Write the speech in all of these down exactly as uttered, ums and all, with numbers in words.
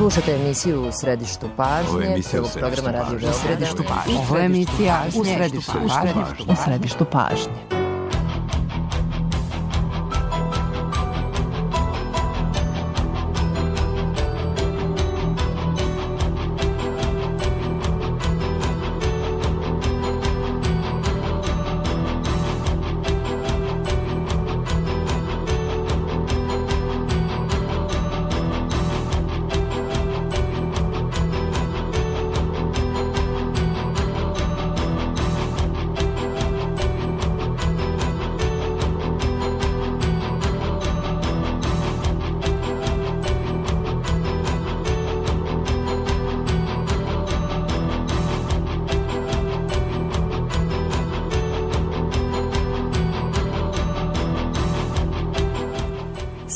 Slušate emisiju U središtu pažnje, prvog programa Radio Beograda. U središtu pažnje. Ovo je emisija U središtu pažnje. U središtu pažnje.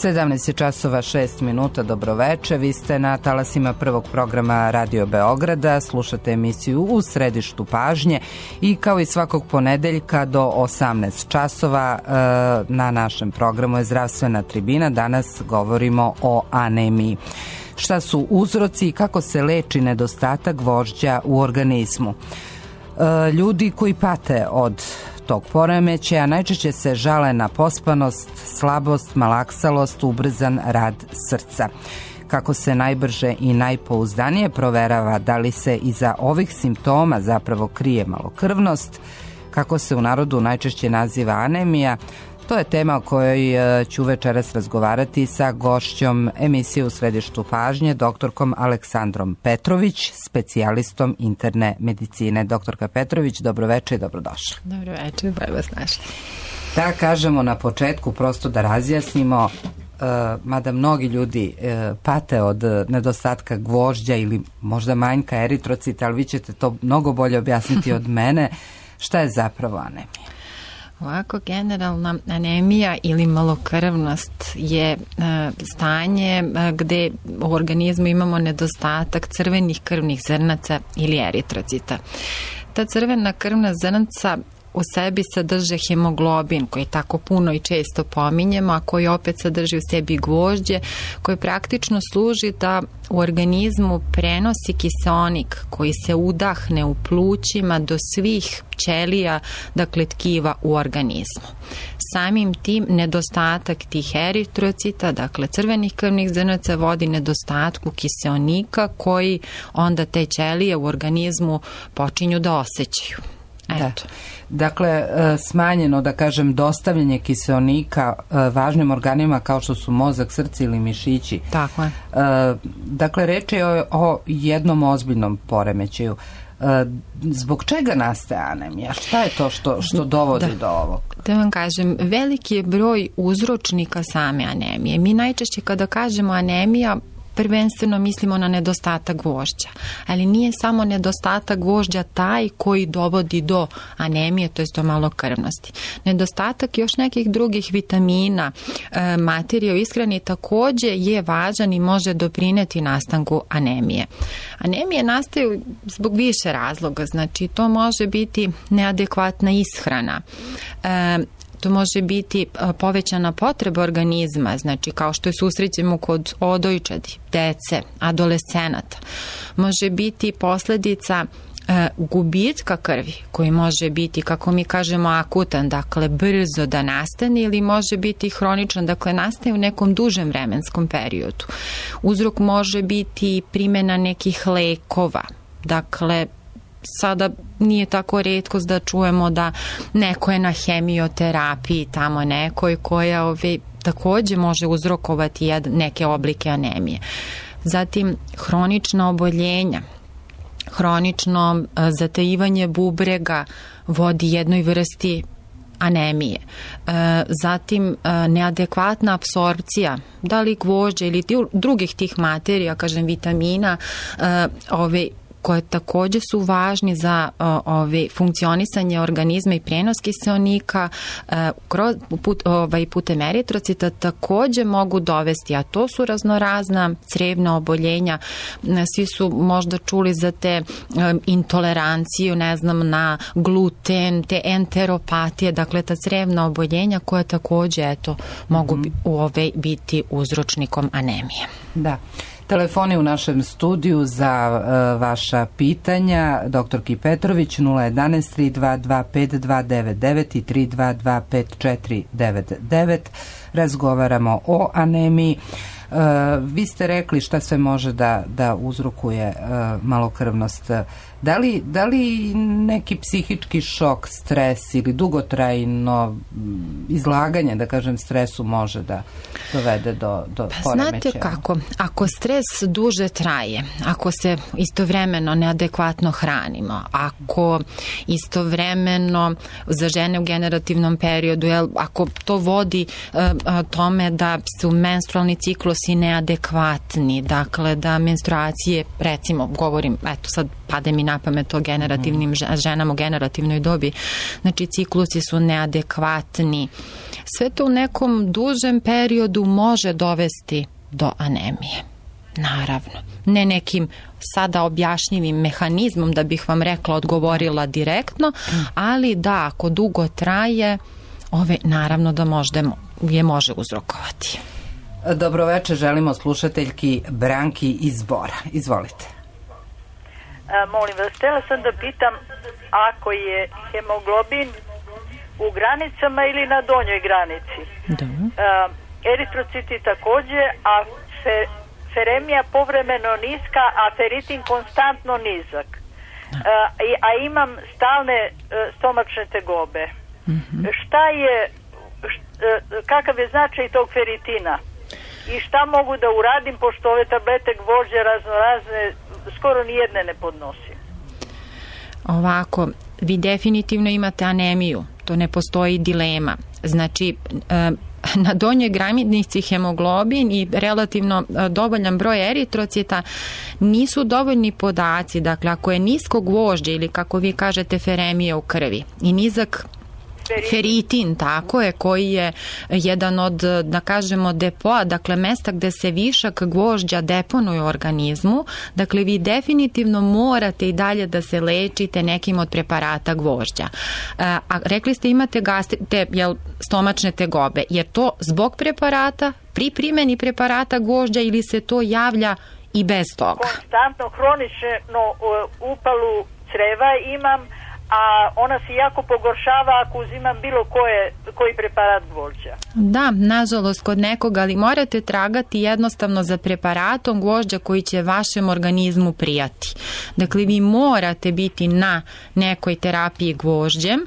sedamnaest časova šest minuta, dobroveče, vi ste na talasima prvog programa Radio Beograda, slušate emisiju U središtu pažnje i kao i svakog ponedeljka do osamnaest časova na našem programu je Zdravstvena tribina. Danas govorimo o anemiji. Šta su uzroci i kako se leči nedostatak gvožđa u organizmu? Ljudi koji pate od tog poremećaja najčešće se žale na pospanost, slabost, malaksalost, ubrzan rad srca. Kako se najbrže i najpouzdanije proverava da li se iza ovih simptoma zapravo krije malokrvnost, kako se u narodu najčešće naziva anemija, to je tema o kojoj ću večeras razgovarati sa gošćom emisije U središtu pažnje, doktorkom Aleksandrom Petrović, specijalistom interne medicine. Doktorka Petrović, dobroveče i dobrodošla. Dobroveče, bolje vas našli. Da kažemo na početku, prosto da razjasnimo, Uh, mada mnogi ljudi uh, pate od nedostatka gvožđa ili možda manjka eritrocita, ali vi ćete to mnogo bolje objasniti od mene. Šta je zapravo anemija? Ovako, generalna anemija ili malokrvnost je e, stanje e, gde u organizmu imamo nedostatak crvenih krvnih zrnaca ili eritrocita. Ta crvena krvna zrnca u sebi sadrže hemoglobin koji tako puno i često pominjemo, a koji opet sadrži u sebi gvožđe, koji praktično služi da u organizmu prenosi kiseonik koji se udahne u plućima do svih ćelija, dakle tkiva u organizmu. Samim tim nedostatak tih eritrocita, dakle crvenih krvnih zrnaca, vodi nedostatku kiseonika koji onda te ćelije u organizmu počinju da osjećaju. Eto. Da. Dakle, smanjeno, da kažem, dostavljanje kiseonika važnim organima kao što su mozak, srce ili mišići. Tako je. Dakle, reč je o, o jednom ozbiljnom poremećaju. Zbog čega nastaje anemija? Šta je to što, što dovodi da. do ovog? Da vam kažem, veliki je broj uzročnika same anemije. Mi najčešće kada kažemo anemija, prvenstveno mislimo na nedostatak gvožđa, ali nije samo nedostatak gvožđa taj koji dovodi do anemije, to je do malokrvnosti. Nedostatak još nekih drugih vitamina, e, materija u ishrani takođe je važan i može doprineti nastanku anemije. Anemije nastaju zbog više razloga, znači to može biti neadekvatna ishrana, e, to može biti povećana potreba organizma, znači kao što je susrećemo kod odojčadi, dece, adolescenata. Može biti posledica e, gubitka krvi, koji može biti, kako mi kažemo, akutan, dakle brzo da nastane, ili može biti hroničan, dakle nastaje u nekom dužem vremenskom periodu. Uzrok može biti primjena nekih lekova, dakle sada nije tako retkost da čujemo da neko je na hemioterapiji, tamo nekoj koja ove, takođe može uzrokovati jed, neke oblike anemije. Zatim hronična oboljenja, hronično a, zatajivanje bubrega vodi jednoj vrsti anemije. E, zatim e, neadekvatna apsorpcija, da li gvožđa ili drugih tih materija, kažem vitamina, e, ove koje takođe su važni za uh, ove, funkcionisanje organizma i prenos kiseonika uh, kroz, put, ovaj, putem eritrocita takođe mogu dovesti, a to su raznorazna crevna oboljenja. Svi su možda čuli za te um, intoleranciju, ne znam, na gluten, te enteropatije, dakle ta crevna oboljenja koja takođe eto, mogu mm. bi, ove, biti uzročnikom anemije. Da. Telefoni u našem studiju za uh, vaša pitanja. Doktorki Petrović nula jedanaest tri dva dva pet dva devet devet i tri dva dva pet četiri devet devet. Razgovaramo o anemiji. Uh, vi ste rekli šta sve može da, da uzrokuje uh, malokrvnost. Da li, da li neki psihički šok, stres ili dugotrajno izlaganje, da kažem, stresu može da dovede do, do pa, poremećaja? Znate kako, ako stres duže traje, ako se istovremeno neadekvatno hranimo, ako istovremeno za žene u generativnom periodu, jel, ako to vodi uh, tome da su menstrualni ciklusi neadekvatni, dakle da menstruacije, recimo, govorim, eto sad pade mi na pamet o generativnim ženama u generativnoj dobi, znači ciklusi su neadekvatni. Sve to u nekom dužem periodu može dovesti do anemije. Naravno. Ne nekim sada objašnjivim mehanizmom da bih vam rekla, odgovorila direktno, ali da, ako dugo traje, ove naravno da možda je može uzrokovati. Dobroveče, želimo slušateljki Branki iz Bora. Izvolite. A, molim vas, htjela sam da pitam ako je hemoglobin u granicama ili na donjoj granici. Da. A, eritrociti također, a fe, feremija povremeno niska, a feritin konstantno nizak. A, a imam stalne a, stomačne tegobe. Mm-hmm. Šta je, št, a, kakav je značaj tog feritina? I šta mogu da uradim, pošto ove tablete gvožđe razno razne, skoro nijedne ne podnosim. Ovako, vi definitivno imate anemiju, to ne postoji dilema. Znači, na donjoj granici hemoglobin i relativno dovoljan broj eritrocita nisu dovoljni podaci. Dakle, ako je nisko gvožđe ili kako vi kažete feremija u krvi i nizak feritin, tako je, koji je jedan od, da kažemo, depoa, dakle mesta gde se višak gvožđa deponuje u organizmu, dakle vi definitivno morate i dalje da se lečite nekim od preparata gvožđa. A, a rekli ste imate gastri, te, jel, stomačne tegobe, jer to zbog preparata, pri primjeni preparata gvožđa ili se to javlja i bez toga? Konstantno, hronično upalu creva imam, a ona se jako pogoršava ako uzimam bilo koje, koji preparat gvožđa. Da, nažalost kod nekoga, ali morate tragati jednostavno za preparatom gvožđa koji će vašem organizmu prijati. Dakle, vi morate biti na nekoj terapiji gvožđem,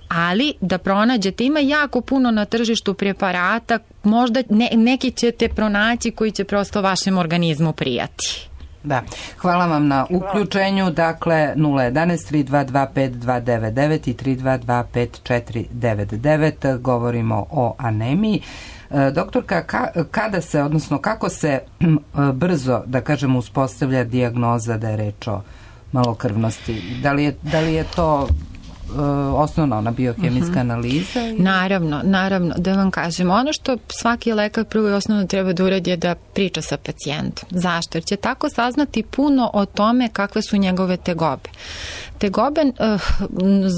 ali da pronađete, ima jako puno na tržištu preparata, možda ne, neki ćete pronaći koji će prosto vašem organizmu prijati. Da, hvala vam na uključenju. Dakle, nula jedanaest tri dva dva pet dva devet devet i tri dva dva pet četiri devet devet. Govorimo o anemiji. Doktorka, ka, kada se, odnosno kako se brzo, da kažemo, uspostavlja dijagnoza da je reč o malokrvnosti? Da li je, da li je to osnovna ona biohemijska uh-huh. analiza? I... Naravno, naravno, da vam kažem, ono što svaki lekar prvo i osnovno treba da uradi je da priča sa pacijentom. Zašto? Jer će tako saznati puno o tome kakve su njegove tegobe. Tegobe uh,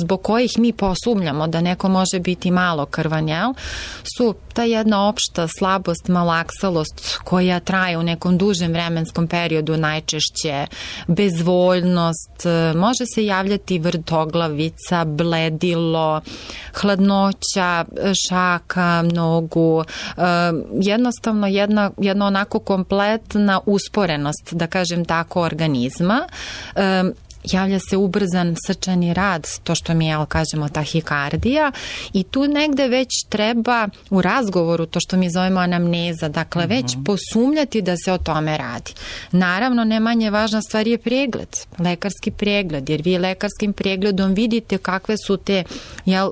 zbog kojih mi posumljamo da neko može biti malo krvan, jel, su ta jedna opšta slabost, malaksalost koja traje u nekom dužem vremenskom periodu, najčešće bezvoljnost, može se javljati vrtoglavica, bledilo, hladnoća šaka, nogu, jednostavno jedna, jedna onako kompletna usporenost, da kažem tako, organizma. Javlja se ubrzan srčani rad, to što mi, jel, kažemo, tahikardija, i tu negde već treba u razgovoru, to što mi zovemo anamneza, dakle već uh-huh. posumljati da se o tome radi. Naravno, ne manje važna stvar je pregled, lekarski pregled, jer vi lekarskim pregledom vidite kakve su te, jel,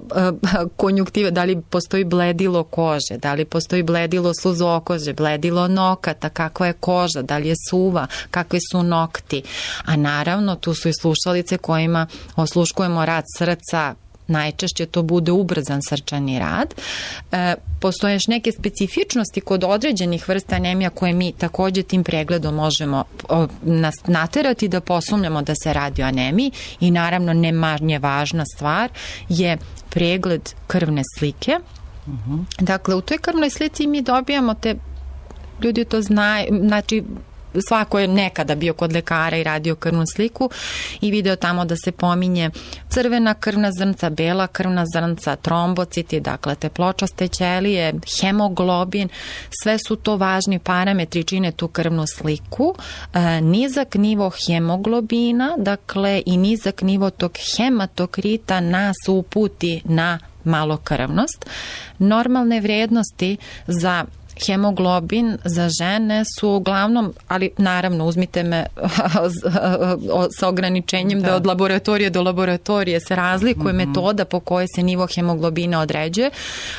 konjuktive, da li postoji bledilo kože, da li postoji bledilo sluzokože, bledilo nokata, kakva je koža, da li je suva, kakvi su nokti, a naravno tu su i slušalice kojima osluškujemo rad srca, najčešće to bude ubrzan srčani rad. E, postoje još neke specifičnosti kod određenih vrsta anemija koje mi također tim pregledom možemo o, nas naterati da posumljamo da se radi o anemiji, i naravno ne manje važna stvar je pregled krvne slike. Uh-huh. Dakle, u toj krvnoj slici mi dobijamo te, ljudi to znaju, znači svako je nekada bio kod lekara i radio krvnu sliku i video tamo da se pominje crvena krvna zrnca, bela krvna zrnca, trombociti, dakle te pločaste ćelije, hemoglobin, sve su to važni parametri, čine tu krvnu sliku. E, nizak nivo hemoglobina, dakle i nizak nivo tog hematokrita nas uputi na malokrvnost. Normalne vrijednosti za hemoglobin za žene su uglavnom, ali naravno uzmite me sa ograničenjem da, da od laboratorije do laboratorije se razlikuje mm-hmm. metoda po kojoj se nivo hemoglobina određuje,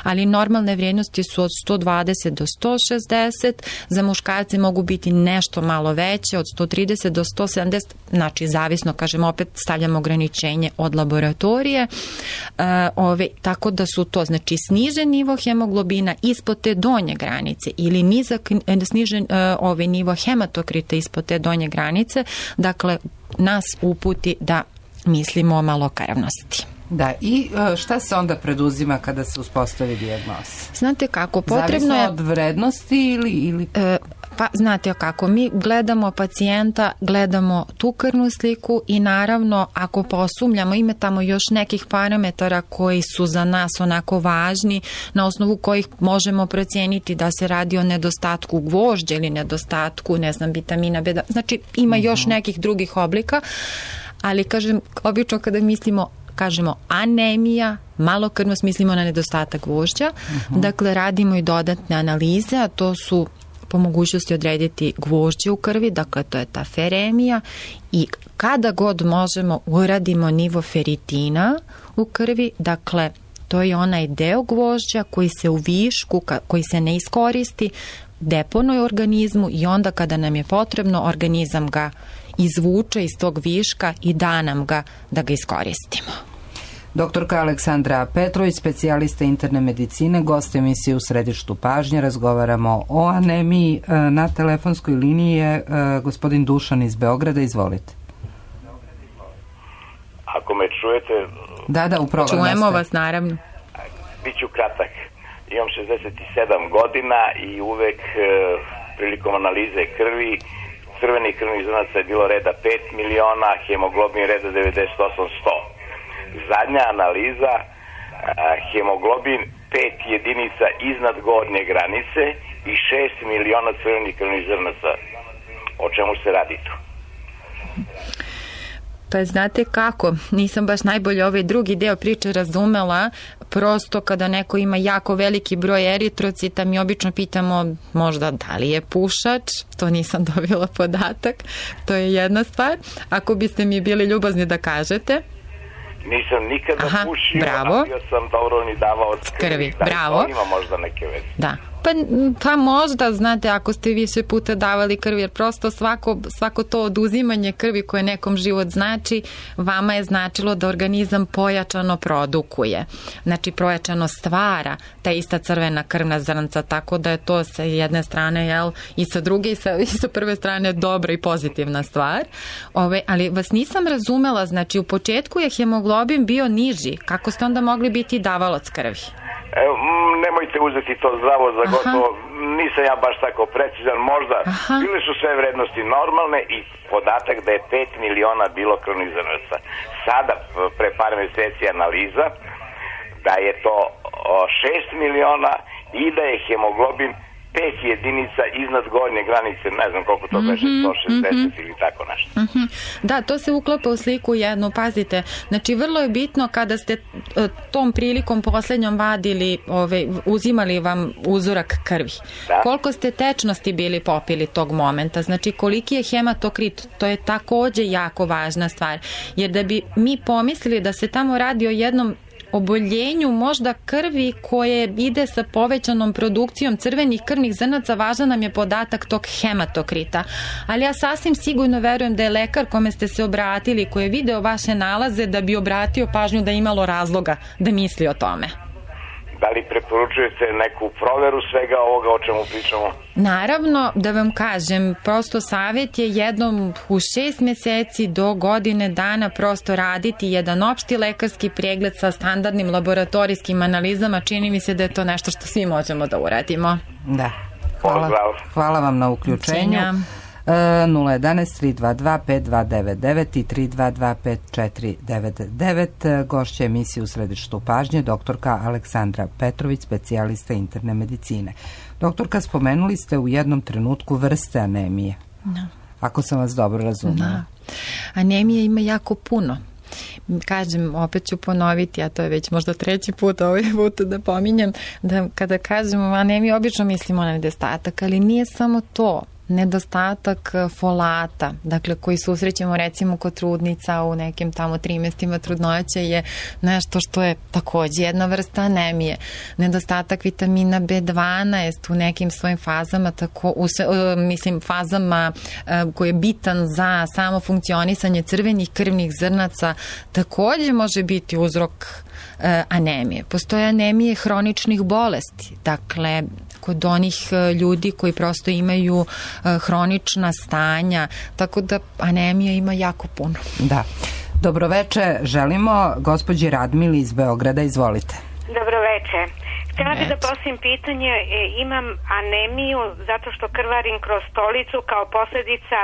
ali normalne vrijednosti su od sto dvadeset do sto šezdeset, za muškarce mogu biti nešto malo veće, od sto trideset do sto sedamdeset, znači zavisno, kažem, opet stavljamo ograničenje od laboratorije, uh, ove, tako da su to, znači snižen nivo hemoglobina ispod te donje granice ili nizak, snižen uh, ovaj nivo hematokrita ispod te donje granice, dakle nas uputi da mislimo o malokrvnosti. Da, i šta se onda preduzima kada se uspostavi dijagnoza? Znate kako, potrebno je... Zavisno od vrednosti ili... ili... E, pa, znate kako, mi gledamo pacijenta, gledamo tu krvnu sliku i naravno, ako posumljamo, ima tamo još nekih parametara koji su za nas onako važni, na osnovu kojih možemo procijeniti da se radi o nedostatku gvožđa ili nedostatku, ne znam, vitamina B, znači ima uh-huh. još nekih drugih oblika, ali kažem, obično kada mislimo kažemo anemija, malokrvnost, mislimo na nedostatak gvožđa. Uh-huh. Dakle, radimo i dodatne analize, a to su po mogućnosti odrediti gvožđe u krvi, dakle to je ta feremija i kada god možemo uradimo nivo feritina u krvi, dakle to je onaj deo gvožđa koji se u višku, koji se ne iskoristi, deponuje u organizmu i onda kada nam je potrebno, organizam ga izvuče iz tog viška i da nam ga da ga iskoristimo. Doktorka Aleksandra Petrović, specijalista interne medicine, gost emisije U središtu pažnje. Razgovaramo o anemiji. Na telefonskoj liniji je gospodin Dušan iz Beograda. Izvolite. Ako me čujete... Da, da, u programu. Čujemo ste. Vas, naravno. Biću kratak. Imam šezdeset sedam godina i uvek e, prilikom analize krvi crvenih krvnih zrnaca je bilo reda pet miliona, hemoglobin reda devedeset osam sto. Zadnja analiza, a, hemoglobin pet jedinica iznad gornje granice i šest miliona crvenih krvnih zrnaca. O čemu se radi tu? Pa znate kako, nisam baš najbolje ovaj drugi deo priče razumela, prosto kada neko ima jako veliki broj eritrocita, mi obično pitamo možda da li je pušač, to nisam dobila podatak, to je jedna stvar. Ako biste mi bili ljubazni da kažete. Nisam nikada Aha, pušio, bravo. a bio sam dobro ni davao od krvi. krvi. Da, bravo. Ima možda neke veze. Da. Pa, pa možda, znate, ako ste više puta davali krvi, jer prosto svako, svako to oduzimanje krvi koje nekom život znači, vama je značilo da organizam pojačano produkuje. Znači, pojačano stvara ta ista crvena krvna zrnca, tako da je to sa jedne strane, jel, i sa druge i sa, i sa prve strane dobra i pozitivna stvar. Ove, ali vas nisam razumela, znači, u početku je hemoglobin bio niži. Kako ste onda mogli biti davalac krvi? Evo, nemojte uzeti to zdravo za gotovo, nisam ja baš tako precizan, možda Aha. bile su sve vrednosti normalne i podatak da je pet miliona bilo krvnih zrnaca. Sada, pre par meseci analiza, da je to šest miliona i da je hemoglobin pet jedinica iznad gornje granice, ne znam koliko to kaže, mm-hmm, sto šezdeset mm-hmm. ili tako nešto. Mm-hmm. Da, to se uklapa u sliku jednu, pazite, znači vrlo je bitno kada ste tom prilikom poslednjom vadili, ove, uzimali vam uzorak krvi. Da. Koliko ste tečnosti bili popili tog momenta, znači koliki je hematokrit, to je takođe jako važna stvar, jer da bi mi pomislili da se tamo radi o jednom oboljenju možda krvi koje ide sa povećanom produkcijom crvenih krvnih zrnaca, važan nam je podatak tog hematokrita. Ali ja sasvim sigurno verujem da je lekar kome ste se obratili, koji je video vaše nalaze, da bi obratio pažnju da je imalo razloga da misli o tome. Da li preporučujete neku proveru svega ovoga o čemu pričamo? Naravno, da vam kažem, prosto savjet je jednom u šest meseci do godine dana prosto raditi jedan opšti lekarski pregled sa standardnim laboratorijskim analizama. Čini mi se da je to nešto što svi možemo da uradimo. Da. Hvala, hvala vam na uključenju. nula jedan tri dva dva pet dva devet devet i tri dva dva pet četiri devet devet. Gošća emisije U središtu pažnje doktorka Aleksandra Petrović, specijalista interne medicine. Doktorka, spomenuli ste u jednom trenutku vrste anemije. Da. Ako sam vas dobro razumela. Da. Anemije ima jako puno. Kažem, opet ću ponoviti, a to je već možda treći put ovaj put da pominjem, da kada kažemo anemiju obično mislimo na nedostatak, ali nije samo to. Nedostatak folata, dakle koji susrećemo recimo kod trudnica u nekim tamo trimestima trudnoće je nešto što je takođe jedna vrsta anemije. Nedostatak vitamina be dvanaest u nekim svojim fazama, tako, u, mislim fazama koji je bitan za samo funkcionisanje crvenih krvnih zrnaca, takođe može biti uzrok anemije. Postoje anemije hroničnih bolesti, dakle kod onih ljudi koji prosto imaju hronična stanja, tako da anemija ima jako puno. Da. Dobroveče, želimo gospođi Radmili iz Beograda, izvolite. Dobroveče. Htjela bih da postavim pitanje, e, imam anemiju zato što krvarim kroz stolicu kao posljedica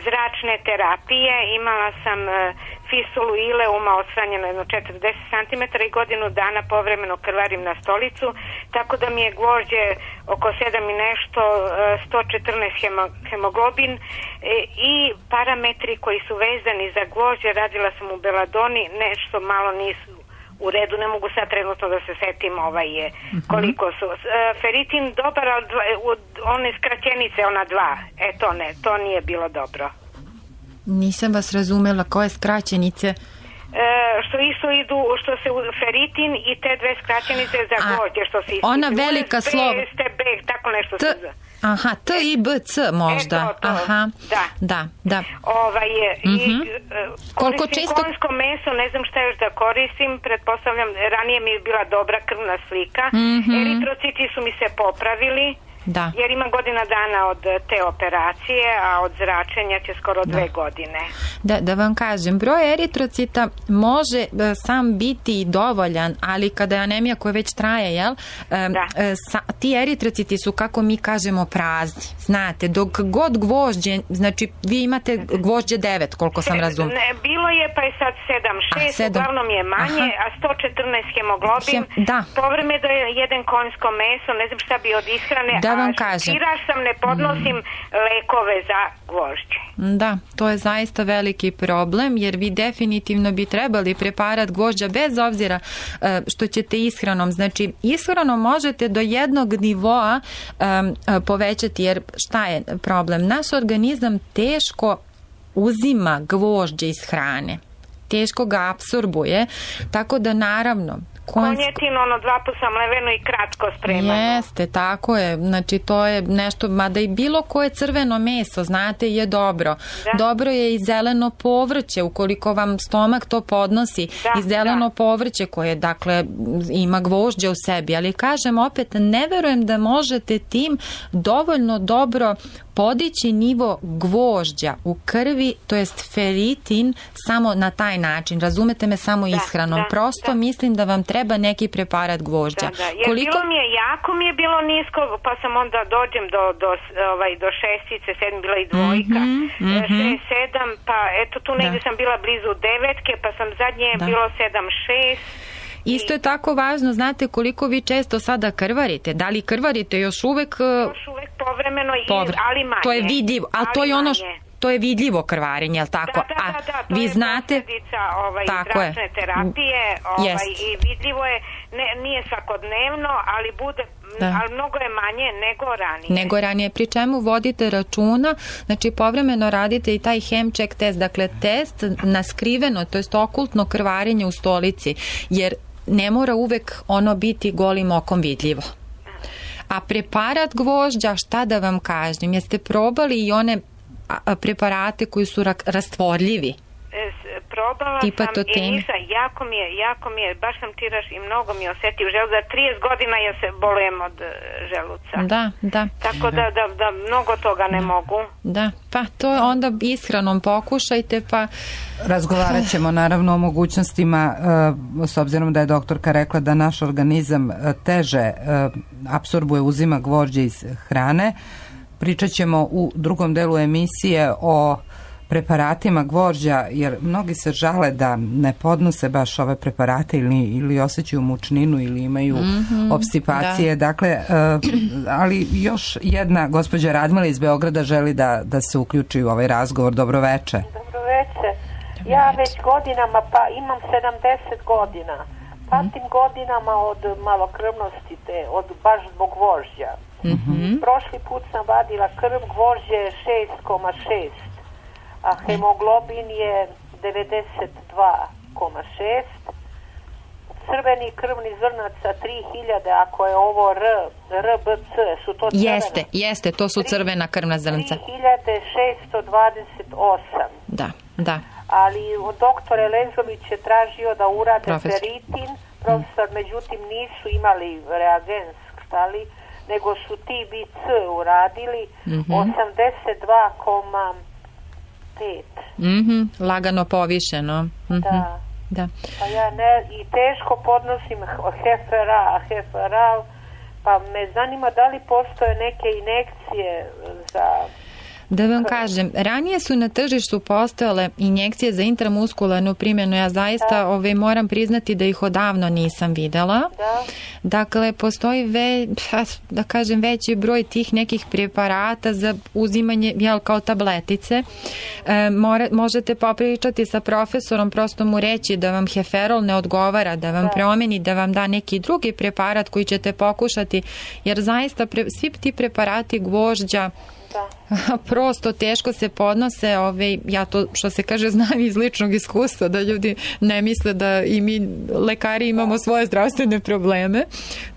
zračne terapije. Imala sam e, fistulu ileuma odstranjeno jedno četrdeset centimetara i godinu dana povremeno krvarim na stolicu, tako da mi je gvožđe oko sedam i nešto, e, sto četrnaest hemo, hemoglobin e, i parametri koji su vezani za gvožđe, radila sam u Beladoni, nešto malo nisu u redu, ne mogu sad trenutno da se setim ovaj je, koliko su. E, feritin dobar, ali dva, one skraćenice, ona dva, e to ne, to nije bilo dobro. Nisam vas razumela, koje skraćenice? E, što isto idu, što se feritin i te dve skraćenice za gvožđe, što se ističe. Ona velika slova. B, tako nešto T, se za... Aha, T i B C možda. E, to, to. Aha, da. Da, da. Ovaj, mm-hmm. i, koliko koristim čisto... konjsko meso, ne znam šta još da koristim, pretpostavljam, ranije mi je bila dobra krvna slika, mm-hmm. eritrociti su mi se popravili, da. Jer ima godina dana od te operacije, a od zračenja će skoro da. dve godine. Da, da vam kažem, broj eritrocita može sam biti dovoljan, ali kada je anemija koja već traje, jel, da. sa, ti eritrociti su, kako mi kažemo, prazni. Znate, dok god gvožđe, znači vi imate gvožđe devet, koliko sam razumela. Ne, bilo je, pa je sad sedam šest, uglavnom je manje, aha. a sto četrnaest hemoglobin, Hem, da. povreme da je jedan konjsko meso, ne znam šta bi od ishrane, da vam a kažem. Tiraž sam, ne podnosim mm. lekove za gvožđe. Da, to je zaista veliki problem, jer vi definitivno bi trebali preparat gvožđa bez obzira što ćete ishranom. Znači, ishranom možete do jednog nivoa um, povećati, jer šta je problem? Naš organizam teško uzima gvožđe iz hrane. Teško ga apsorbuje, tako da naravno konjetinu, ono dva puta mleveno i kratko spremano. Jeste, tako je. Znači, to je nešto, mada i bilo koje crveno meso, znate, je dobro. Da. Dobro je i zeleno povrće, ukoliko vam stomak to podnosi. Da, i zeleno da. povrće koje, dakle, ima gvožđe u sebi. Ali, kažem, opet, ne verujem da možete tim dovoljno dobro podići nivo gvožđa u krvi, to jest feritin, samo na taj način. Razumete me, samo da, ishranom. Da, Prosto da. mislim da vam treba neki preparat gvožđa. Da, da. Jer Koliko... bilo mi je, jako mi je bilo nisko, pa sam onda dođem do, do, ovaj, do šestice, sedam bila i dvojka, mm-hmm, mm-hmm. šest, sedam, pa eto tu negdje da. sam bila blizu devetke, pa sam zadnje da. bilo sedam, šest. Isto je tako važno, znate koliko vi često sada krvarite. Da li krvarite još uvek? Još uvek povremeno, Povre... ali manje. To je vidljivo, ali, ali to je ono što... To je vidljivo krvarenje, je li tako? Da, da, da, da, to vi je znate... ovaj, zračne terapije ovaj, i vidljivo je, ne, nije svakodnevno, ali bude... Da. Ali mnogo je manje nego ranije. Nego ranije, pri čemu vodite računa, znači povremeno radite i taj Hemcheck test, dakle test na skriveno, to jest okultno krvarenje u stolici, jer ne mora uvek ono biti golim okom vidljivo. A preparat gvožđa, šta da vam kažem, jeste probali i one preparate koji su rastvorljivi? Probala Tipa sam i nisam, jako mi je, jako mi je, baš sam tiraš i mnogo mi je osetio želudac. Za trideset godina ja se bolujem od želuca. Da, da. Tako da, da, da mnogo toga ne da. mogu. Da, pa to onda ishranom pokušajte, pa... Razgovarat ćemo naravno o mogućnostima, s obzirom da je doktorka rekla da naš organizam teže apsorbuje, uzima gvožđe iz hrane. pričat ćemo u drugom delu emisije o preparatima gvožđa, jer mnogi se žale da ne podnose baš ove preparate ili, ili osjećaju mučninu ili imaju mm-hmm, obstipacije. Da. Dakle, uh, ali još jedna gospođa Radmila iz Beograda želi da, da se uključi u ovaj razgovor. Dobroveče. Dobroveče. Ja već godinama, pa imam sedamdeset godina. Patim mm. godinama od malokrvnosti, te, od baš zbog gvožđa. Mm-hmm. Prošli put sam vadila krv, gvožđe je šest zarez šest, a hemoglobin je devedeset dva zarez šest. Crveni krvni zrnaca tri hiljade, ako je ovo R, R B C, su to crvena? Jeste, jeste, to su crvena krvna zrnca. tri hiljade šesto dvadeset osam. Da, da. Ali doktor Elezović je tražio da urade Profesor. feritin, profesor, mm. međutim nisu imali reagens, stali, nego su T B C uradili mm-hmm. osamdeset dva zarez pet. Mm-hmm. Lagano povišeno. Mm-hmm. Da. Da. Pa ja ne, i teško podnosim Heferal, Heferal, pa me zanima da li postoje neke injekcije za... Da vam kažem, ranije su na tržištu postojale injekcije za intramuskularnu primjenu. Ja zaista ove, moram priznati da ih odavno nisam videla. Da. Dakle, postoji ve, da kažem, veći broj tih nekih preparata za uzimanje, jel, kao tabletice. E, more, možete popričati sa profesorom, prosto mu reći da vam Heferol ne odgovara, da vam da. promeni, da vam da neki drugi preparat koji ćete pokušati, jer zaista pre, svi ti preparati gvožđa Da. prosto teško se podnose, ove, ja to što se kaže znam iz ličnog iskustva, da ljudi ne misle da i mi lekari imamo svoje zdravstvene probleme,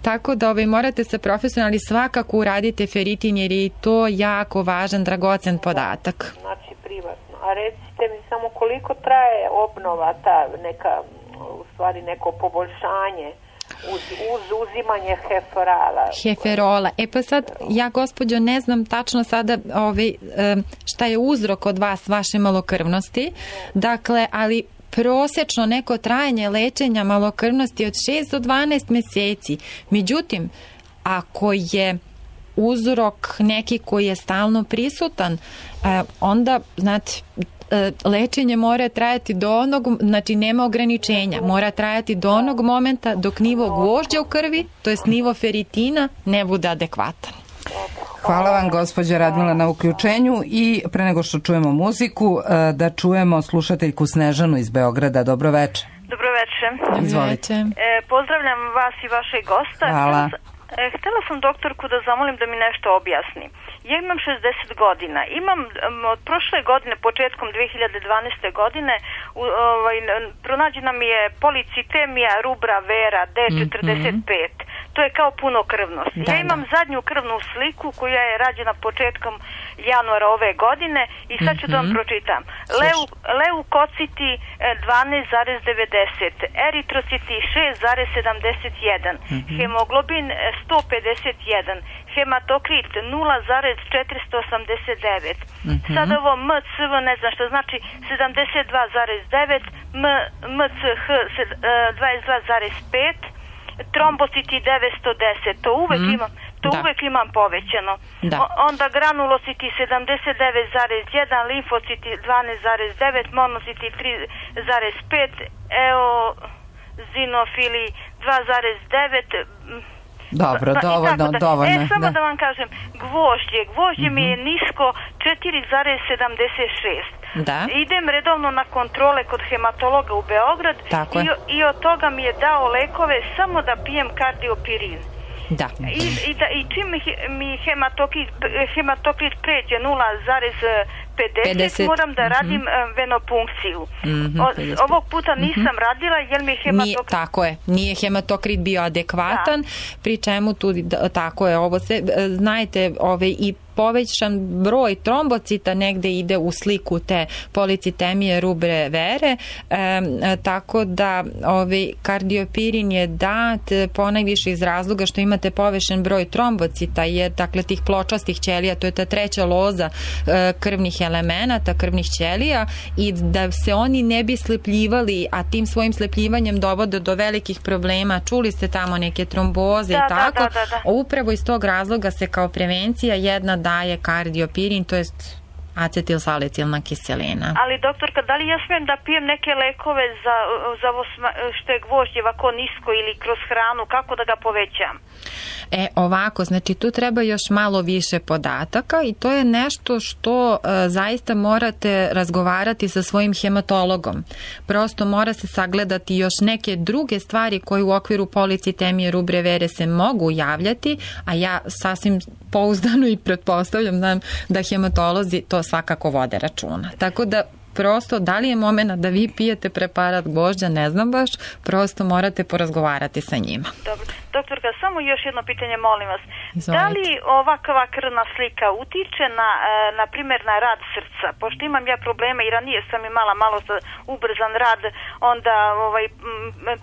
tako da ove, morate se profesionalni svakako uradite feritin, jer je to jako važan, dragocen podatak. Znači privatno. A recite mi samo koliko traje obnova, ta neka, u stvari neko poboljšanje Uz, uz uzimanje heferala. Heferola. E pa sad, ja gospođo ne znam tačno sada ovaj, šta je uzrok od vas, vaše malokrvnosti. Dakle, ali prosečno neko trajanje lečenja malokrvnosti od šest do dvanaest meseci. Međutim, ako je uzrok neki koji je stalno prisutan, onda, znate, lečenje mora trajati do onog, znači nema ograničenja, mora trajati do onog momenta dok nivo gvožđa u krvi, to jest nivo feritina, ne bude adekvatan. Hvala vam, gospođa Radmila, na uključenju i pre nego što čujemo muziku, da čujemo slušateljku Snežanu iz Beograda. Dobroveče. Dobroveče. Izvolite. E, pozdravljam vas i vašeg gosta. Hvala. E, htela sam doktorku da zamolim da mi nešto objasni. Ja imam šezdeset godina. Imam od prošle godine, početkom dve hiljade dvanaeste godine, ovaj, pronađena mi je policitemija rubra vera D četrdeset pet. Mm-hmm. To je kao punokrvnost. Da, ja imam da. zadnju krvnu sliku koja je rađena početkom januara ove godine i sad ću mm-hmm. da vam pročitam. Leu, leukociti dvanaest zarez devedeset, eritrociti šest zarez sedamdeset jedan, mm-hmm. hemoglobin sto pedeset jedan, hematokrit nula zarez četiristo osamdeset devet. Mm-hmm. Sad ovo M C V ne znam što znači sedamdeset dva zarez devet, M C H dvadeset dva zarez pet, trombociti devetsto deset. To uvek mm. imam, to da. uvek imam povećano. Da. O, onda granulociti sedamdeset devet zarez jedan, limfociti dvanaest zarez devet, monociti tri zarez pet, eozinofili dva zarez devet. Dobro, dovoljno, da. dovoljno. E, samo da. da vam kažem, gvožđe, gvožđe mm-hmm. mi je nisko četiri zarez sedamdeset šest. Da. Idem redovno na kontrole kod hematologa u Beograd i, i od toga mi je dao lekove samo da pijem kardiopirin. Da. I, i, da, i čim mi, mi hematokrit, hematokrit pređe nula zarez pedeset, moram da radim mm-hmm. venopunkciju. Mm-hmm, o, ovog puta nisam mm-hmm. radila jer mi je hematokrit... Nije, tako je, nije hematokrit bio adekvatan, da. Pri čemu tu, da, tako je, ovo se, znajte, ove, i povećan broj trombocita negde ide u sliku te policitemije rubre vere, e, tako da ovaj kardiopirin je dat ponajviše iz razloga što imate povećan broj trombocita, jer dakle tih pločastih ćelija, to je ta treća loza e, krvnih elemenata, krvnih ćelija, i da se oni ne bi slepljivali, a tim svojim slepljivanjem dovode do velikih problema. Čuli ste tamo neke tromboze da, i tako. Da, da, da, da. Upravo iz tog razloga se kao prevencija jedna daje kardiopirin, to jest acetilsalicilna kiselina. Ali doktorka, da li ja smijem da pijem neke lekove za, za ovo što je gvožđe ovako nisko ili kroz hranu, kako da ga povećam? E, ovako, znači tu treba još malo više podataka i to je nešto što e, zaista morate razgovarati sa svojim hematologom. Prosto mora se sagledati još neke druge stvari koje u okviru policitemije rubre vere se mogu javljati, a ja sasvim pouzdano i pretpostavljam znam da hematolozi to svakako vode računa. Tako da prosto, da li je moment da vi pijete preparat gvožđa, ne znam baš, prosto morate porazgovarati sa njima. Dobro. Doktorka, samo još jedno pitanje, molim vas. Izvolite. Da li ovakva krvna slika utiče na, na primjer, na rad srca? Pošto imam ja probleme i ranije sam imala malo ubrzan rad, onda ovaj,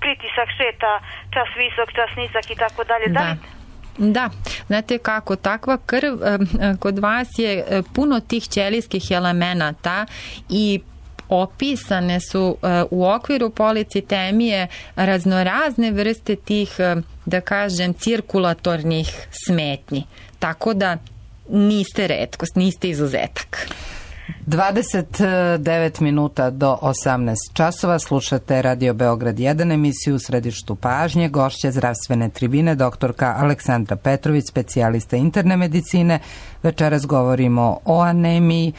pritisak šeta, čas visok, čas nizak i tako dalje. Da li... Da, znate kako, takva krv kod vas je puno tih ćelijskih elemenata i opisane su u okviru policitemije raznorazne vrste tih, da kažem, cirkulatornih smetnji. Tako da niste retkost, niste izuzetak. dvadeset devet minuta do osamnaest časova slušate Radio Beograd jedan, emisiju u središtu pažnje. Gošća zdravstvene tribine doktorka Aleksandra Petrović, specijalista interne medicine. Večeras govorimo o anemiji.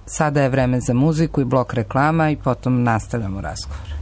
Sada je vreme za muziku i blok reklama i potom nastavljamo razgovor.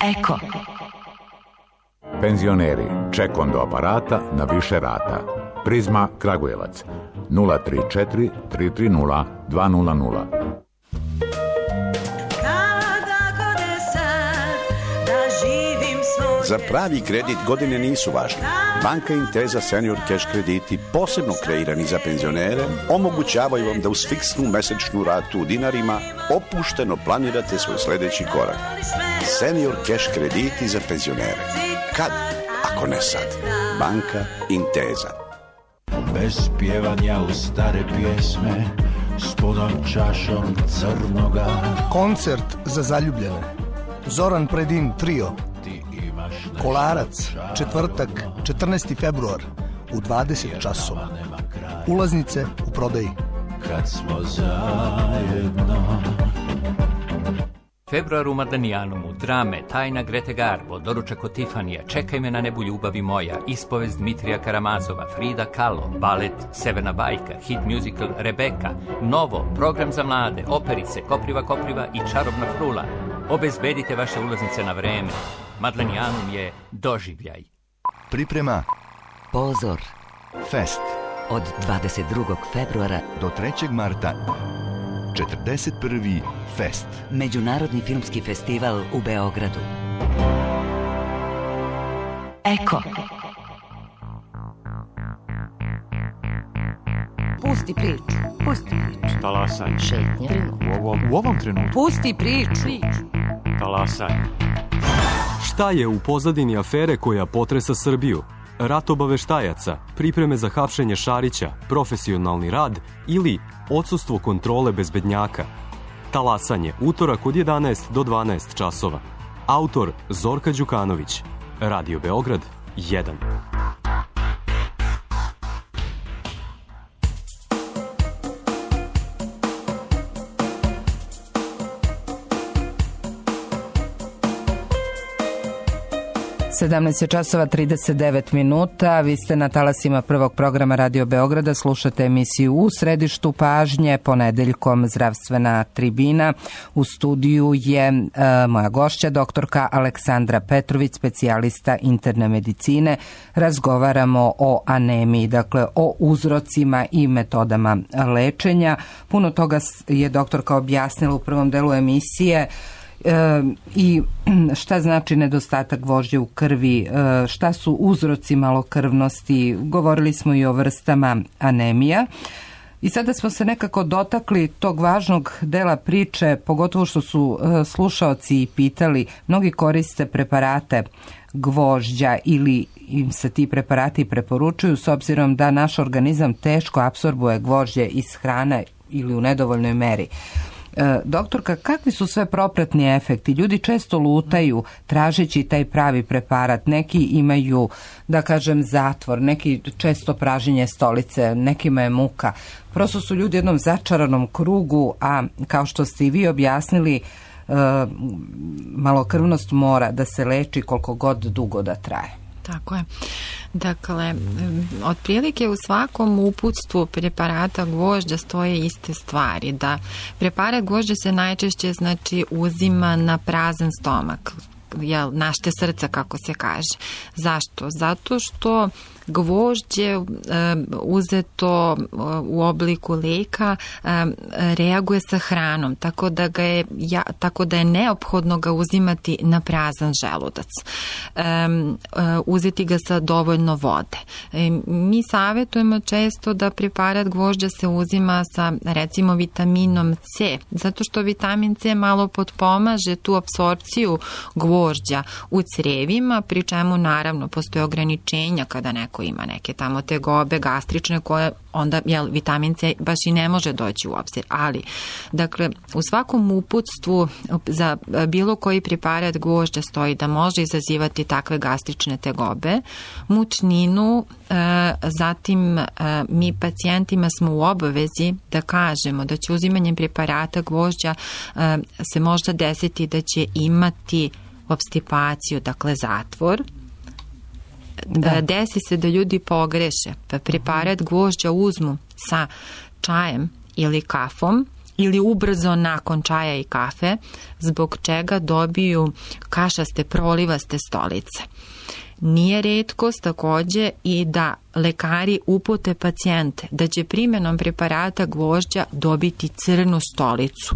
Eko. Penzioneri, ček do aparata na više rata. Prizma Kragujevac nula tri četiri tri tri nula dva nula nula. Za pravi kredit godine nisu važne. Banka Intesa Senior Cash krediti, posebno kreirani za penzionere, omogućavaju vam da uz fiksnu mesečnu ratu u dinarima opušteno planirate svoj sledeći korak. Senior Cash krediti za penzionere. Kad, ako ne sad? Banka Intesa. Bez pjevanja u stare pjesme, s punom čašom crnoga. Koncert za zaljubljene. Zoran Predin trio. Kolarac, četvrtak, četrnaesti februar, u dvadeset časova. Ulaznice u prodaji. Kad smo zajedno. Februar u Madanijanumu, drame, tajna Grete Garbo, doručak od Tifanija, Čekaj me na nebu ljubavi moja, ispovest Dmitrija Karamazova, Frida Kahlo, balet Severna bajka, hit musical Rebeka, Novo, program za mlade, operice, Kopriva Kopriva i Čarobna frula. Obezbedite vaše ulaznice na vreme. Madlenijanum je doživljaj. Priprema Pozor Fest od dvadeset drugog februara do trećeg marta. četrdeset prvi Fest. Međunarodni filmski festival u Beogradu. Eko. Pusti priču. Pusti priču. Talasanje. Šetnja. U ovom, u ovom trenutku. Pusti priču. Talasanje. Šta je u pozadini afere koja potresa Srbiju? Rat obaveštajaca, pripreme za hapšenje Šarića, profesionalni rad ili odsustvo kontrole bezbednjaka? Talasanje, utorak od jedanaest do dvanaest časova. Autor Zorka Đukanović. Radio Beograd jedan. sedamnaest časova trideset devet minuta, vi ste na talasima prvog programa Radio Beograda, slušate emisiju U središtu pažnje, ponedeljkom zdravstvena tribina. U studiju je e, moja gošća, doktorka Aleksandra Petrović, specijalista interne medicine. Razgovaramo o anemiji, dakle o uzrocima i metodama lečenja. Puno toga je doktorka objasnila u prvom delu emisije. E, i šta znači nedostatak gvožđa u krvi, e, šta su uzroci malokrvnosti, govorili smo i o vrstama anemija. I sada smo se nekako dotakli tog važnog dela priče, pogotovo što su e, slušaoci pitali, mnogi koriste preparate gvožđa ili im se ti preparati preporučuju s obzirom da naš organizam teško apsorbuje gvožđe iz hrane ili u nedovoljnoj meri. E, doktorka, kakvi su sve propratni efekti? Ljudi često lutaju tražeći taj pravi preparat. Neki imaju, da kažem, zatvor, neki često praženje stolice, nekima je muka. Prosto su ljudi u jednom začaranom krugu, a kao što ste i vi objasnili, e, malokrvnost mora da se leči koliko god dugo da traje. Tako je. Dakle, otprilike u svakom uputstvu preparata gvožđa stoje iste stvari, da preparat gvožđa se najčešće znači uzima na prazan stomak, jel, našte srca kako se kaže. Zašto? Zato što gvožđe um, uzeto u obliku leka um, reaguje sa hranom, tako da ga je ja, tako da je neophodno ga uzimati na prazan želudac. Um, uh, uzeti ga sa dovoljno vode. Um, mi savjetujemo često da preparat gvožđa se uzima sa recimo vitaminom C, zato što vitamin C malo potpomaže tu apsorpciju gvožđa u crevima, pri čemu naravno postoje ograničenja kada neko neko ima neke tamo tegobe gastrične koje onda jel, vitamin C baš i ne može doći u obzir. Ali, dakle, u svakom uputstvu za bilo koji preparat gvožđa stoji da može izazivati takve gastrične tegobe, mučninu, e, zatim e, mi pacijentima smo u obavezi da kažemo da će uzimanjem preparata gvožđa e, se možda desiti da će imati obstipaciju, dakle zatvor. Da. Desi se da ljudi pogreše, pa preparat gvožđa uzmu sa čajem ili kafom ili ubrzo nakon čaja i kafe, zbog čega dobiju kašaste, prolivaste stolice. Nije retkost takođe i da lekari upute pacijente da će primjenom preparata gvožđa dobiti crnu stolicu.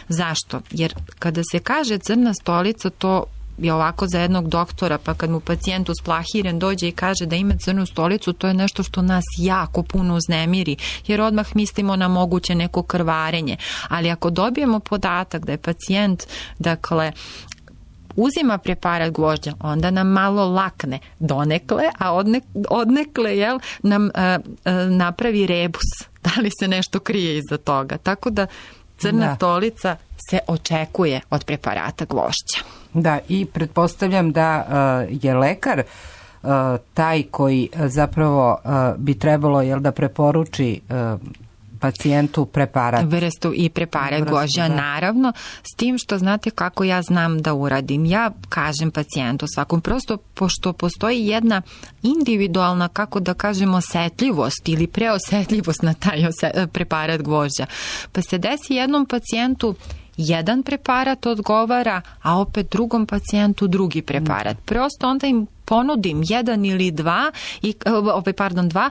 Zašto? Jer kada se kaže crna stolica, to je ovako za jednog doktora, pa kad mu pacijent usplahiren dođe i kaže da ima crnu stolicu, to je nešto što nas jako puno uznemiri, jer odmah mislimo na moguće neko krvarenje. Ali ako dobijemo podatak da je pacijent, dakle, uzima preparat gvožđa, onda nam malo lakne donekle, a odne, odnekle jel, nam a, a, napravi rebus. Da li se nešto krije iza toga? Tako da crna da. stolica se očekuje od preparata gvožđa. Da, i pretpostavljam da uh, je lekar uh, taj koji uh, zapravo uh, bi trebalo jel, da preporuči uh, pacijentu preparat. Vrstu i preparat gvožđa, naravno, s tim što znate kako ja znam da uradim. Ja kažem pacijentu svakom, prosto pošto postoji jedna individualna, kako da kažemo, osetljivost ili preosetljivost na taj preparat gvožđa. Pa se desi jednom pacijentu jedan preparat odgovara, a opet drugom pacijentu drugi preparat. Prosto onda im ponudim jedan ili dva, i, ovaj, pardon, dva,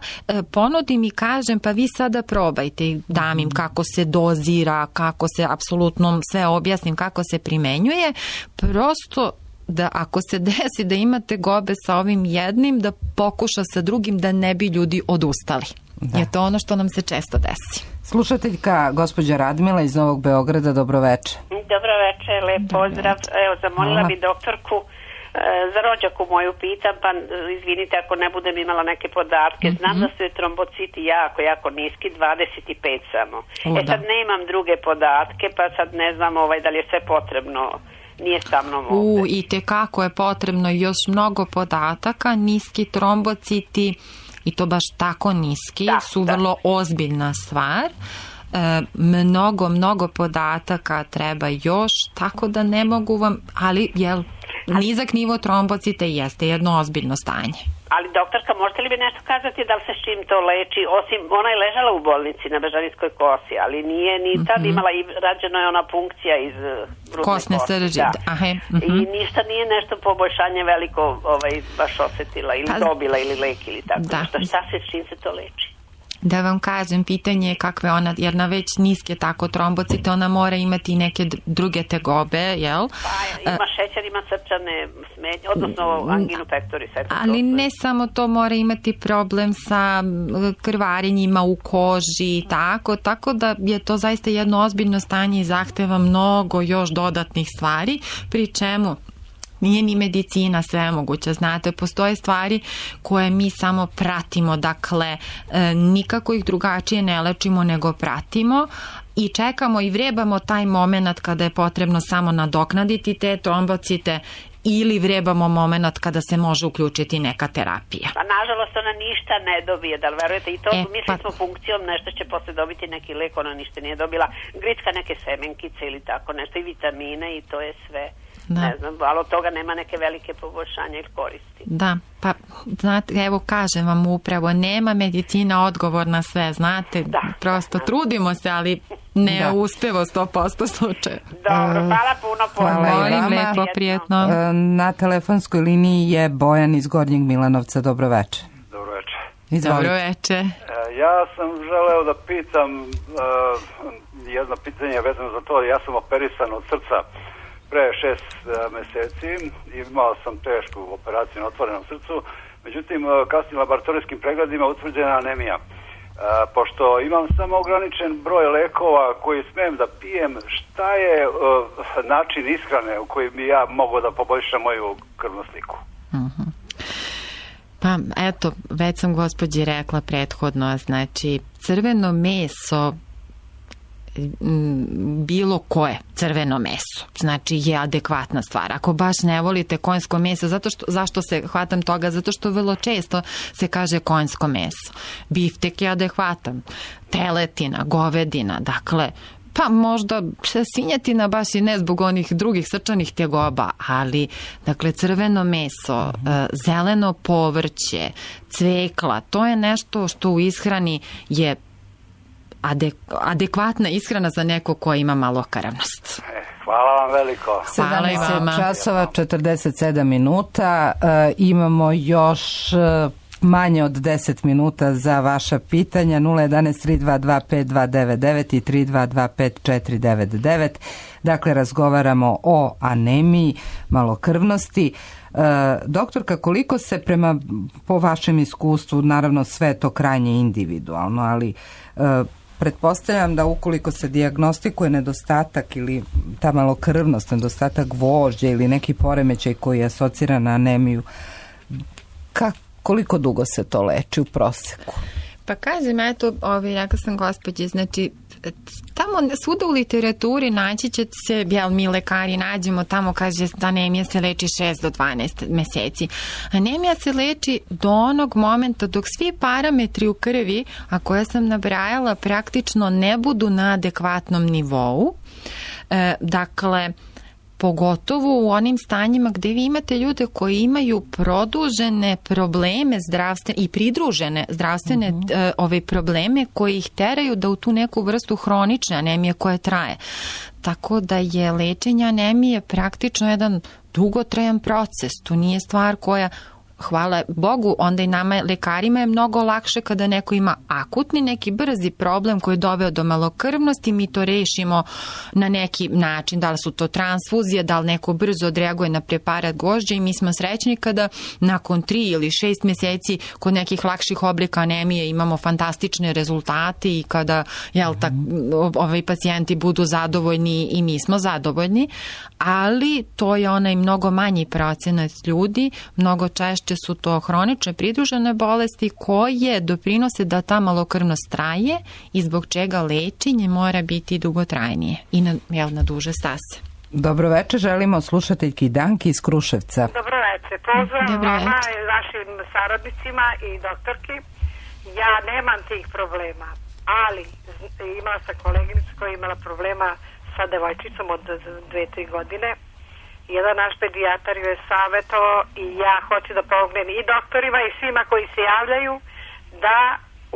ponudim i kažem pa vi sada probajte i dam im kako se dozira, kako se apsolutno sve objasnim, kako se primenjuje. Prosto da ako se desi da imate gobe sa ovim jednim, da pokuša sa drugim da ne bi ljudi odustali. Da. Je to ono što nam se često desi. Slušateljka gospođa Radmila iz Novog Beograda, dobroveče. Dobroveče, lep pozdrav. Evo, zamolila bi doktorku e, za rođaku moju pitam, pa izvinite ako ne budem imala neke podatke. Znam mm-hmm. da su je trombociti jako, jako niski, dvadeset pet samo. O, e sad da. nemam druge podatke, pa sad ne znam ovaj, da li je sve potrebno. Nije sa mnom ovde. U, i tekako je potrebno još mnogo podataka, niski trombociti, i to baš tako niski, da, su da. vrlo ozbiljna stvar. E, mnogo, mnogo podataka treba još, tako da ne mogu vam, ali jel, nizak nivo trombocita jeste jedno ozbiljno stanje. Ali doktorka, možete li bi nešto kazati da li se s čim to leči? Osim, ona je ležala u bolnici na Bežanijskoj kosi, ali nije ni tad mm-hmm. imala i rađena je ona punkcija iz grudne kosne srži. Da. Aha, mm-hmm. I ništa nije nešto poboljšanje veliko ovaj, baš osetila ili pa, dobila ili lek ili tako. Da. Šta, šta se s čim se to leči? Da vam kažem, pitanje je kakve ona, jer na već niske tako trombocite, ona mora imati neke druge tegobe, jel? Pa, ima šećer, ima srčane smetnje, odnosno anginu pectoris. Ali ne samo to, mora imati problem sa krvarenjima u koži i tako, tako da je to zaista jedno ozbiljno stanje i zahteva mnogo još dodatnih stvari, pri čemu nije ni medicina sve moguća, znate, postoje stvari koje mi samo pratimo, dakle, e, nikako ih drugačije ne lečimo nego pratimo i čekamo i vrebamo taj moment kada je potrebno samo nadoknaditi te trombocite ili vrebamo moment kada se može uključiti neka terapija. Pa nažalost ona ništa ne dobije, da li verujete? I to e, mislili pa... smo funkcijom, nešto će posle dobiti neki lek, ona ništa nije dobila. Gricka neke semenkice ili tako nešto i vitamine i to je sve. Da. Ne znam, ali od toga nema neke velike poboljšanja ili koristi. Da, pa znate, evo kažem vam upravo, nema medicina odgovor na sve, znate, da, prosto da, trudimo se, ali ne da. uspeva sto posto slučaja. Dobro, hvala puno, puno. Molim, lepo, prijetno. Na telefonskoj liniji je Bojan iz Gornjeg Milanovca, dobroveče. Dobroveče. Izvolite. Dobroveče. Ja sam želeo da pitam uh, jedno pitanje vezano za to, ja sam operisan od srca pre šest uh, meseci, imao sam tešku operaciju na otvorenom srcu, međutim uh, kasnim laboratorijskim pregledima utvrđena anemija. Uh, pošto imam samo ograničen broj lekova koji smem da pijem, šta je uh, način ishrane u kojim bi ja mogao da poboljšam moju krvnu sliku? Uh-huh. Pa eto, već sam gospođi rekla prethodno, znači crveno meso, bilo koje crveno meso, znači je adekvatna stvar. Ako baš ne volite konjsko meso, zato što, zašto se hvatam toga? Zato što vrlo često se kaže konjsko meso. Biftek je adekvatan, teletina, govedina, dakle, pa možda svinjetina baš i ne zbog onih drugih srčanih tjegoba, ali dakle crveno meso, zeleno povrće, cvekla, to je nešto što u ishrani je adek, adekvatna ishrana za neko ko ima malokrvnost. Hvala vam veliko. sedamnaest časova četrdeset sedam minuta. E, imamo još e, manje od deset minuta za vaša pitanja. Nula jedanaest tri dva dva pet dva devet devet i tri dva dva pet četiri devet devet. Dakle, razgovaramo o anemiji, malokrvnosti. E, doktorka, koliko se prema, po vašem iskustvu, naravno sve to krajnje individualno, ali e, pretpostavljam da ukoliko se dijagnostikuje nedostatak ili ta malokrvnost, nedostatak gvožđa ili neki poremećaj koji je asociran na anemiju, ka, koliko dugo se to leči u proseku? Pa kažem, eto, ovaj, rekla sam gospođi, znači, tamo svuda u literaturi naći će se, jel, mi lekari nađemo tamo, kaže da anemija se leči šest do dvanaest meseci. Anemija se leči do onog momenta dok svi parametri u krvi, a koje sam nabrajala, praktično ne budu na adekvatnom nivou. E, dakle, pogotovo u onim stanjima gde vi imate ljude koji imaju produžene probleme zdravstvene i pridružene zdravstvene uh, ove probleme koji ih teraju da u tu neku vrstu hronične anemije koja traje. Tako da je lečenje anemije praktično jedan dugotrajan proces. To nije stvar koja, hvala Bogu, onda i nama lekarima je mnogo lakše kada neko ima akutni neki brzi problem koji je doveo do malokrvnosti, mi to rešimo na neki način, da li su to transfuzije, da li neko brzo odreaguje na preparat gvožđa i mi smo srećni kada nakon tri ili šest mjeseci kod nekih lakših oblika anemije imamo fantastične rezultate i kada, jel, tak, ovi pacijenti budu zadovoljni i mi smo zadovoljni, ali to je onaj mnogo manji procenat ljudi, mnogo češće su to hronične pridružene bolesti koje doprinose da ta malokrvnost traje i zbog čega lečenje mora biti dugotrajnije i na, jel, na duže stase. Dobro večer, želimo slušateljki Danki iz Kruševca. Dobro večer, pozdrav vama i vašim saradnicima i doktorki. Ja nemam tih problema, ali imala sam koleginicu koja je imala problema sa devojčicom od dve, tri godine. Jedan naš pedijatar ju je savjetovao i ja hoću da pomognem i doktorima i svima koji se javljaju da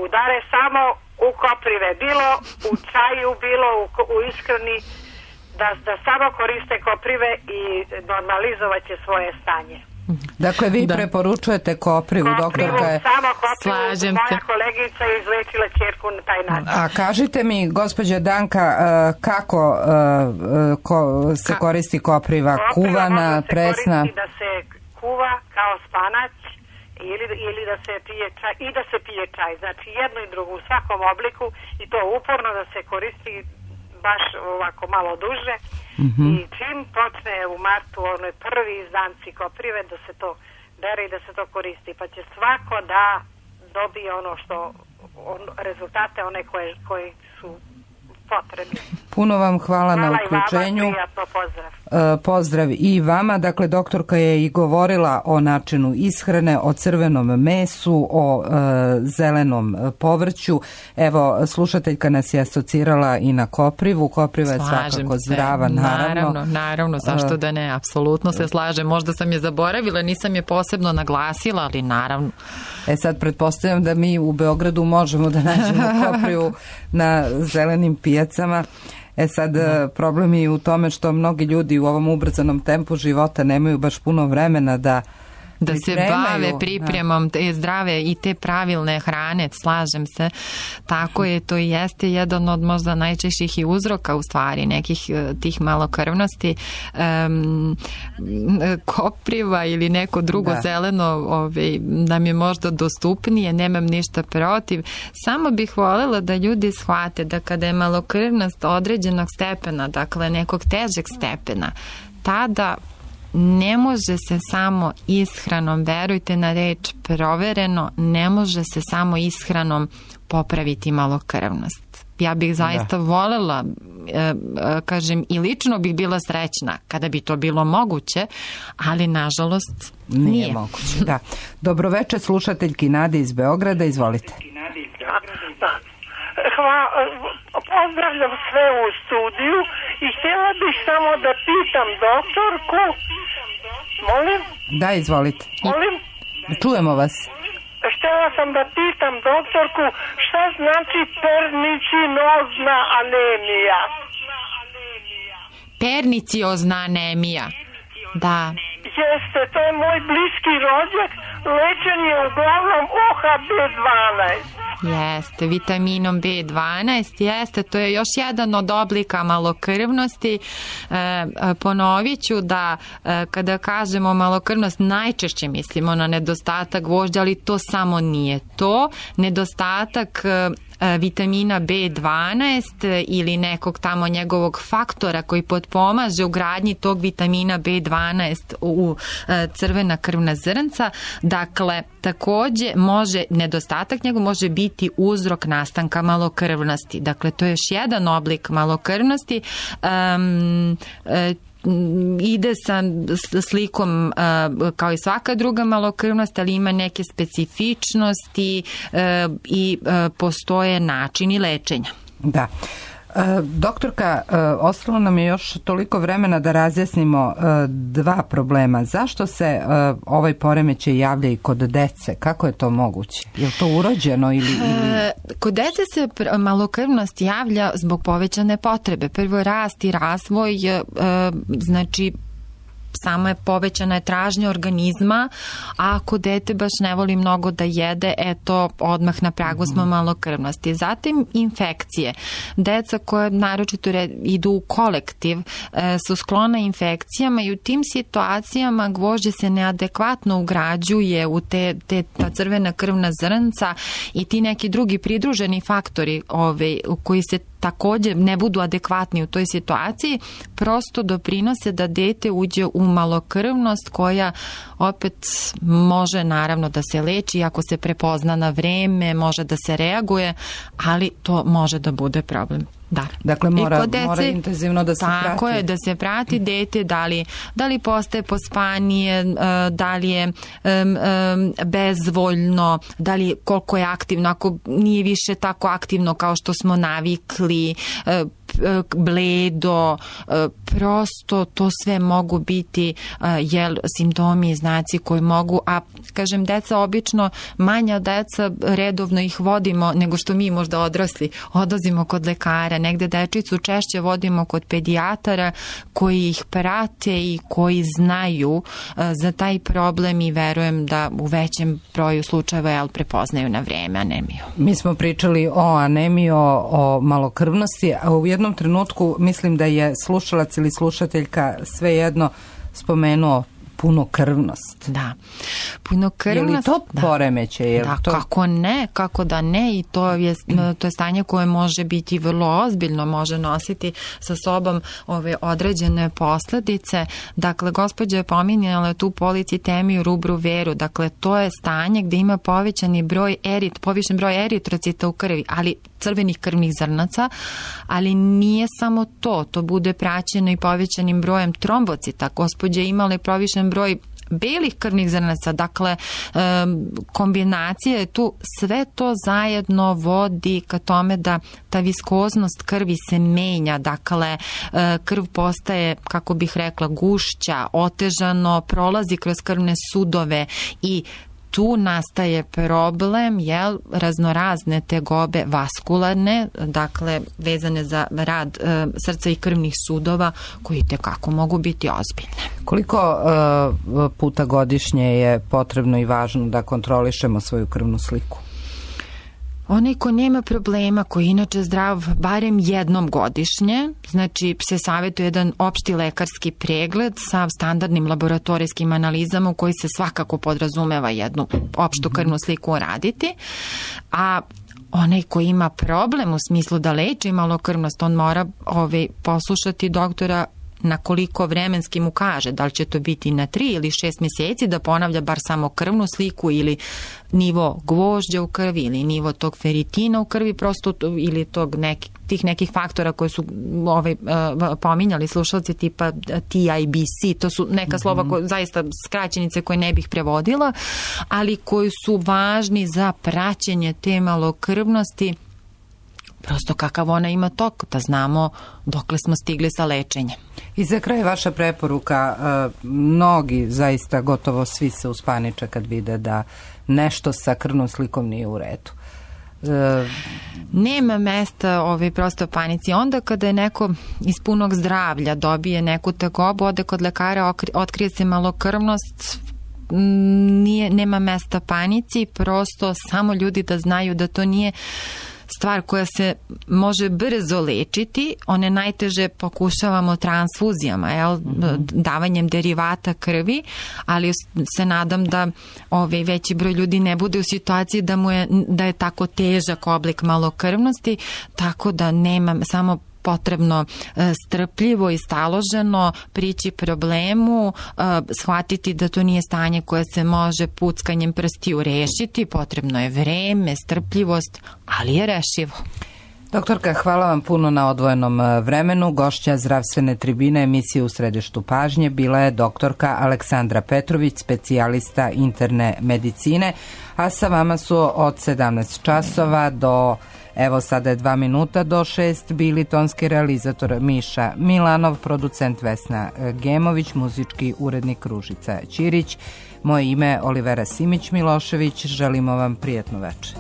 udare samo u koprive, bilo u čaju, bilo u, u ishrani, da, da samo koriste koprive i normalizovat će svoje stanje. Dakle, vi da. preporučujete koprivu, koprivu doktorka je... Samo koprivu, slažem moja se. kolegica je izlečila ćerku na taj način. A kažite mi, gospođa Danka, kako ko, se koristi kopriva? Kopriva kuvana, može se presna? Koristi da se kuva kao spanać ili, ili da se pije čaj i da se pije čaj. Znači jedno i drugo u svakom obliku i to uporno da se koristi baš ovako malo duže. Mm-hmm. I čim počne u martu onoj prvi izdanci koprive da se to bere i da se to koristi, pa će svako da dobije ono što on, rezultate one koje, koji su potrebni. Puno vam hvala, hvala na uključenju. I vama, prijatno, pozdrav. E, pozdrav i vama. Dakle, doktorka je i govorila o načinu ishrane, o crvenom mesu, o e, zelenom povrću. Evo, slušateljka nas je asocirala i na koprivu. Kopriva je slažem svakako se. zdrava, naravno. Naravno, naravno, zašto da ne, apsolutno se slažem. Možda sam je zaboravila, nisam je posebno naglasila, ali naravno. E sad, pretpostavljam da mi u Beogradu možemo da nađemo koprivu na zelenim pijacama. E sad, da. problem je u tome što mnogi ljudi u ovom ubrzanom tempu života nemaju baš puno vremena da da se bave pripremom te zdrave i te pravilne hrane, slažem se. Tako je, to jeste jedan od možda najčešćih i uzroka u stvari nekih tih malokrvnosti. Um, kopriva ili neko drugo da. zeleno ovaj, nam je možda dostupnije, nemam ništa protiv. Samo bih voljela da ljudi shvate da kada je malokrvnost određenog stepena, dakle nekog težeg stepena, tada ne može se samo ishranom, verujte na reč, provereno, ne može se samo ishranom popraviti malokrvnost. Ja bih zaista da. volela, e, kažem, i lično bih bila srećna kada bi to bilo moguće, ali nažalost nije. Nije moguće, da. Dobroveče, slušateljki Nade iz Beograda, izvolite. Hvala, pozdravljam sve u studiju i htjela bih samo da pitam doktorku, molim? Da, izvolite. Molim? Čujemo vas. Htjela sam da pitam doktorku šta znači pernicinozna anemija. Perniciozna anemija, da. Jeste, to je moj bliski rođak, lečen je uglavnom O H B dvanaest. Jeste, vitaminom B dvanaest, jeste, to je još jedan od oblika malokrvnosti. E, ponovit ću da e, kada kažemo malokrvnost najčešće mislimo na nedostatak gvožđa, ali to samo nije to. Nedostatak e, vitamina B dvanaest ili nekog tamo njegovog faktora koji potpomaže u gradnji tog vitamina B dvanaest u crvena krvna zrnca. Dakle, takođe može, nedostatak njegov može biti uzrok nastanka malokrvnosti. Dakle, to je još jedan oblik malokrvnosti. Um, ide sa slikom uh, kao i svaka druga malokrvnost, ali ima neke specifičnosti uh, i uh, postoje načini lečenja. Da. Doktorka, ostalo nam je još toliko vremena da razjasnimo dva problema. Zašto se ovaj poremećaj javlja i kod dece? Kako je to moguće? Je li to urođeno ili... ili... Kod dece se malokrvnost javlja zbog povećane potrebe. Prvo, rast i razvoj, znači samo je povećana je tražnja organizma, a ako dete baš ne voli mnogo da jede, eto, odmah na pragu smo malokrvnosti. Zatim infekcije. Deca koje naročito idu u kolektiv e, su sklona infekcijama i u tim situacijama gvožđe se neadekvatno ugrađuje u te, te ta crvena krvna zrnca i ti neki drugi pridruženi faktori ove, koji se takođe ne budu adekvatni u toj situaciji, prosto doprinose da dete uđe u malokrvnost koja opet može naravno da se leči ako se prepozna na vreme, može da se reaguje, ali to može da bude problem. Da. Dakle, mora, dece, mora intenzivno da se tako prati. Tako je, da se prati dete, da li, da li postaje pospanije, da li je um, um, bezvoljno, da li koliko je aktivno, ako nije više tako aktivno kao što smo navikli, uh, bledo, prosto to sve mogu biti jel, simptomi i znaci koji mogu, a kažem, deca obično, manja deca, redovno ih vodimo nego što mi možda odrasli, odlazimo kod lekara, negde dečicu češće vodimo kod pedijatara koji ih prate i koji znaju za taj problem i verujem da u većem broju slučajeva jel, prepoznaju na vreme anemiju. Mi smo pričali o anemiji, o, o malokrvnosti, a u jednom trenutku mislim da je slušalac ili slušateljka svejedno spomenuo punokrvnost. Da. Punokrvnost. Je li to poremeće? Je li da, to... kako ne, kako da ne i to je, to je stanje koje može biti vrlo ozbiljno, može nositi sa sobom ove određene posledice. Dakle, gospođa je pominjala tu policitemiju rubru veru, dakle, to je stanje gde ima povećani broj erit, povišen broj eritrocita u krvi, ali crvenih krvnih zrnaca, ali nije samo to, to bude praćeno i povećanim brojem trombocita. Gospođa je imala i povišen broj belih krvnih zrnaca, dakle kombinacija je tu, sve to zajedno vodi ka tome da ta viskoznost krvi se menja, dakle krv postaje, kako bih rekla, gušća, otežano, prolazi kroz krvne sudove i tu nastaje problem, jel, raznorazne tegobe vaskularne, dakle, vezane za rad e, srca i krvnih sudova, koji tekako mogu biti ozbiljne. Koliko e, puta godišnje je potrebno i važno da kontrolišemo svoju krvnu sliku? Onaj ko nema problema, koji je inače zdrav barem jednom godišnje, znači se savjetuje jedan opšti lekarski pregled sa standardnim laboratorijskim analizama u koji se svakako podrazumeva jednu opštu krvnu sliku raditi, a onaj ko ima problem u smislu da leči malokrvnost, on mora ovaj, poslušati doktora na koliko vremenski mu kaže, da li će to biti na tri ili šest mjeseci, da ponavlja bar samo krvnu sliku ili nivo gvožđa u krvi ili nivo tog feritina u krvi, prosto ili tog neki, tih nekih faktora koje su ovaj, uh, pominjali slušalci tipa T I B C, to su neka slova koje, zaista skraćenice koje ne bih prevodila, ali koji su važni za praćenje te malokrvnosti, prosto kakav ona ima tok, da znamo dokle smo stigli sa lečenjem. I za kraj vaša preporuka, mnogi, zaista gotovo svi se uspaniče kad vide da nešto sa krvnom slikom nije u redu. E... Nema mesta ovaj prosto panici. Onda kada je neko iz punog zdravlja dobije neku tegobu, ode kod lekara, otkrije se malokrvnost, nije, nema mesta panici, prosto samo ljudi da znaju da to nije stvar koja se može brzo lečiti, one najteže pokušavamo transfuzijama, jel, mm-hmm. davanjem derivata krvi, ali se nadam da ovaj veći broj ljudi ne bude u situaciji da mu je, da je tako težak oblik malokrvnosti, tako da nema samo potrebno strpljivo i staloženo prići problemu, shvatiti da to nije stanje koje se može puckanjem prstiju rešiti, potrebno je vreme, strpljivost, ali je rešivo. Doktorka, hvala vam puno na odvojenom vremenu. Gošća zdravstvene tribine emisije U središtu pažnje bila je doktorka Aleksandra Petrović, specijalista interne medicine, a sa vama su od sedamnaest časova do, evo sada je dva minuta do šest, bili tonski realizator Miša Milanov, producent Vesna Gemović, muzički urednik Ružica Ćirić. Moje ime je Olivera Simić Milošević, želimo vam prijatnu večer.